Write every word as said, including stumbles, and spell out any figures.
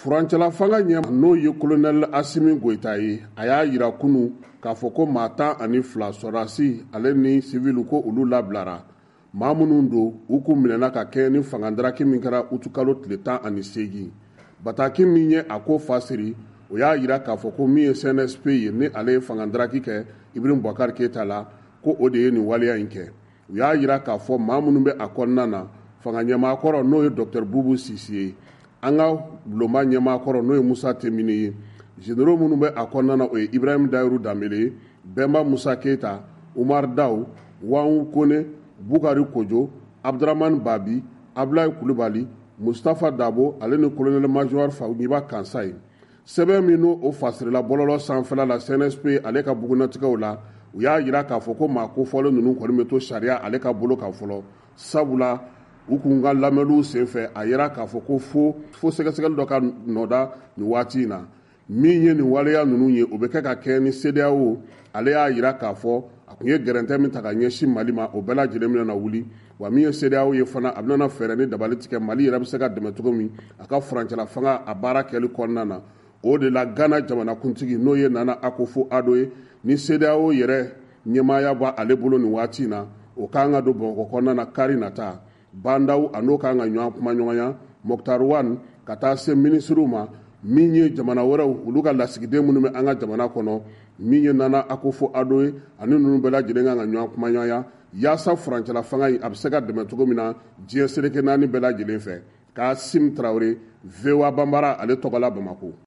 Furancɛla fanga ɲɛ n'o ye colonel Asimi Goyita ye, a y'a jira kunun k'a fɔ ko maa tan ani fila sɔrɔdasi ale ni civil ko olu labilara. Maa minnu don, u kun minɛna ka kɛɲɛ ni fangadaraki min kɛra utukalo tile tan ani seegin. Bataki min ye a ko fasiri, o y'a jira k'a fɔ ko min ye C N S P ye, ni ale ye fangadaraki kɛ Ibrahim Boubacar Keita la, ko o de ye nin waleya in kɛ. U y'a jira k'a fɔ maa minnu bɛ a kɔnɔna na, fanga ɲɛmaa kɔrɔ n'o ye docteur Boubou Cissé ye, an ka bulonba ɲɛmaa kɔrɔ n'o ye Musa Temini ye, généraux minnu bɛ a kɔnɔna na, o ye Ibrahim Dayiru Danbele ye, Bɛnba Musa Keita, Umar Daw, Wangu Kone, Bukari Kojo, Abdramane Babi, Ablaye Kulubali, Mustafa Dabo ale ni colonel major Fawuba Kansa ye. Sɛbɛn min n'o o fasirila bɔlɔlɔ sanfɛla la C N S P ale ka bugunnatigɛw la, u y'a jira k'a fɔ ko maa kofɔlen ninnu kɔni bɛ to sariya ale ka bolo kan fɔlɔ, sabula u kun ka lamɛnniw senfɛ a yira k'a fɔ ko fo fo sɛgɛsɛgɛli dɔ ka nɔda nin waati in na. Min ye nin waleya ninnu ye, o bɛ kɛ ka kɛ ni CEDEAO ale y'a jira k'a fɔ a kun ye gɛrɛntɛ min ta ka ɲɛsin Mali ma, o bɛɛ lajɛlen bɛna na wuli. Wa min ye CEDEAO ye fana, a bɛna fɛɛrɛ ni dabali tigɛ Mali yɛrɛ bɛ se ka dɛmɛ cogo min a ka furancɛla fanga a baara kɛli kɔnɔna na. O de la Ghana jamanakuntigi n'o ye Nana Akufo-Addo ye, ni CEDEAO yɛrɛ ɲɛmaaya b'ale bolo nin waati in na, o kan ka don Bamakɔ kɔnɔna na kari nata. Bandaw a n'o kan ka ɲɔgɔn kuma ɲɔgɔnya, Moctar Ouane ka taa se minisiriw ma, min ye jamana wɛrɛw olu ka lasigiden minnu bɛ an ka jamana kɔnɔ, min ye Nana Akufo-Addo ye, ani ninnu bɛɛ lajɛlen kan ka ɲɔgɔn kuma ɲɔgɔnya yaasa furancɛla fanga in a bɛ se ka dɛmɛ cogo min na diɲɛ seleke naani bɛɛ lajɛlen fɛ. Kasim Tarawele, V O A Banbara ale tɔgɔ la Bamakɔ.